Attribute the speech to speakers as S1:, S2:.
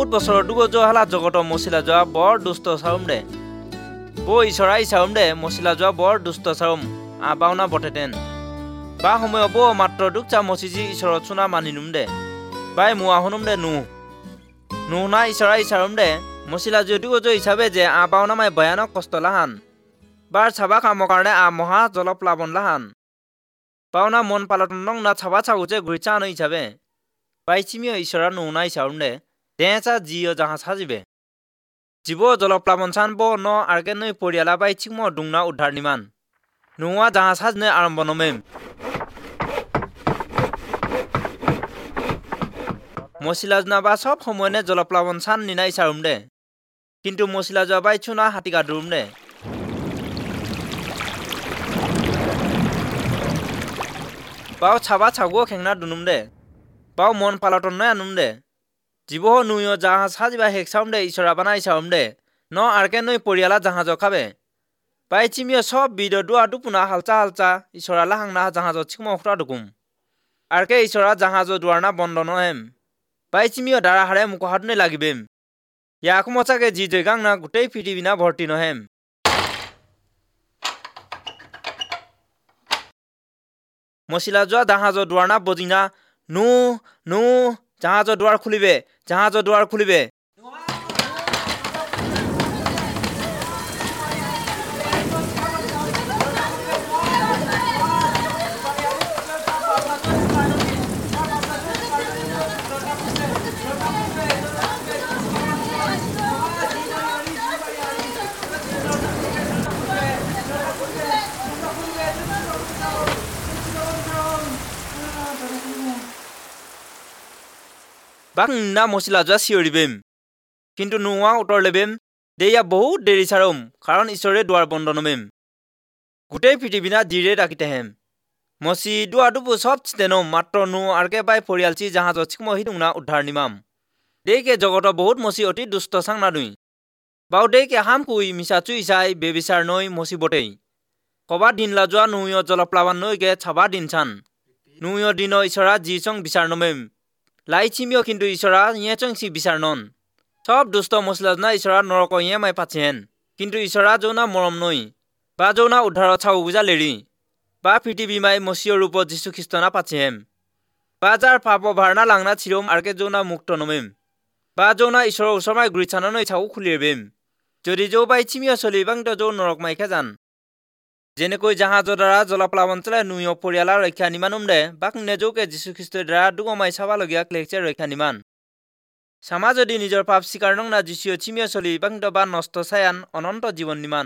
S1: বহুত বছৰৰ দুগ যোৱা হালা জগত মচিলা যোৱা বৰ দুষ্ট চাউম দে। বৌ ঈশ্বৰা ইচাউম দে মচিলা যোৱা বৰ দুষ্ট চাউম আ বাওনা বটেতেন। বা সময় বৌ মাত্ৰ দুখ চা মচিজি ঈশ্বৰত চুনা মানি নুম দে। বাই মোৱা শুনুম দে নুহ। নুহ না ঈশ্বৰা ইচাউম দে মচিলা যোৱা দুগ যোৱা হিচাপে যে আ বাওনা মাই ভয়ানক কষ্ট লাহান। বাৰ চাবা কামৰ কাৰণে আ মহা জলপ্লাৱন লাহান। বাওনা মন পালটন নং না চাবা চাগুচে ঘূৰি চা আনো হিচাপে। বাইচিমিও ঈশ্বৰা নুহ না ইচাউম দে দেঁচা জিও জাহাজ সাজিবে। জীৱ জলপ্লাৱন চান ব ন আৰ্কে নৈ পৰিয়ালা বাই চিকম দুংনা উদ্ধাৰ নিমান। নোৱা জাহাজ সাজনে আৰম্ভ নমেম। মচিলা যোনা বা চব সময়নে জলপ্লাৱন চান নিনাই চাৰুম দে। কিন্তু মচিলা যোৱা বাই চুনা হাতীকা দুৰুম দে। বাও চাবা চাগুও খেংনা দুনুম দে। বাও মন পালটন নয় আনুম দে। জীৱ নুয় জাহাজ সাজিবা হেক চাউম দে ঈশ্বৰা বানাই চাউম দে। ন আৰ্কে নৈ পৰিয়ালা জাহাজ খাবে। বাই চিমিয় চব বিদ দুৱা দুপুনা হালচা হালচা ঈশ্বৰা লাহাংনা জাহাজত চিকম খুৰা দুকুম। আৰ্কে ঈশ্বৰা জাহাজৰ দুৱাৰ না বন্ধ নহেম। বাই চিমিয় দাৰা হাৰে মুখহাতনে লাগিবেম। ইয়াক মচাকে যি জয়গাং না গোটেই পৃথিৱী না ভৰ্তি নহেম। মচিলা যোৱা জাহাজৰ দুৱাৰ না বজিনা নু নু জাহাজৰ দুৱাৰ খুলিবে, জাহাজৰ দুৱাৰ খুলিবে। বাক না মচিলা যোৱা চিঞৰিবেম। কিন্তু নোহোৱা উত্তৰ লেবেম দেয়া বহুত দেৰি চাৰম, কাৰণ ঈশ্বৰে দুৱাৰ বন্ধ নমেম। গোটেই পৃথিৱীনা জিৰে ডাকিতেহেম। মচি দুৱাৰ দুপু চব চিতেনম মাত্ৰ নো আৰ্কে বাই পৰিয়ালচি জাহাজত চিকমহি দুংনা উদ্ধাৰ নিমাম। দেইকে জগত বহুত মচি অতি দুষ্ট চাং নাদুই। বাও দেইকে হাম কুই মিছা চুই চাই বেবিচাৰ নৈ মচি বটেই। কবা দিন লাজোৱা নুয় জলপ্লাৱন নৈকে চাবা দিন চান। নুয় দিন ঈশ্বৰা যি চং বিচাৰ নমেম। লাইচিমিও কিন্তু ঈশ্বৰা ইয়ে চং সি বিচাৰ নন। চব দুষ্ট মছলা ঈশ্বৰা নৰক ইয়ে মাই পাচিহেন। কিন্তু ঈশ্বৰা যৌনা মৰম নৈ বা যৌনা উদ্ধাৰত চাউ বুজা লেৰি বা পৃথিৱী মাই মচিয়ৰ ৰূপত যীশুখ্ৰীষ্টনা পাচিহেম। বা যাৰ পাপ ভাৰনা লাংনা চিৰম আৰ্কে যৌনা মুক্ত নমেম। বা যৌনা ঈশ্বৰৰ ওচৰ মাই গুৰি চানৈ চাউ খুলিবেম। যদি যৌ বাই চিমিও চলি বাংত যৌ নৰক মাইখে জান। যেনেকৈ জাহাজৰ দ্বাৰা জলপ্লাৱন চলাই নুয় পৰিয়ালা ৰক্ষা নিমানুম দে বাক নেজৌকে যীশুখ্ৰীষ্টৰ দ্বাৰা দুগমাই চাবালগীয়া ক্লেকছে ৰক্ষা নিমান। চামা যদি নিজৰ পাপ স্বীকাৰ নং না যীশুৱে চিমিয় চলি বাংত বা নষ্ট চায়ান অনন্ত জীৱন নিমান।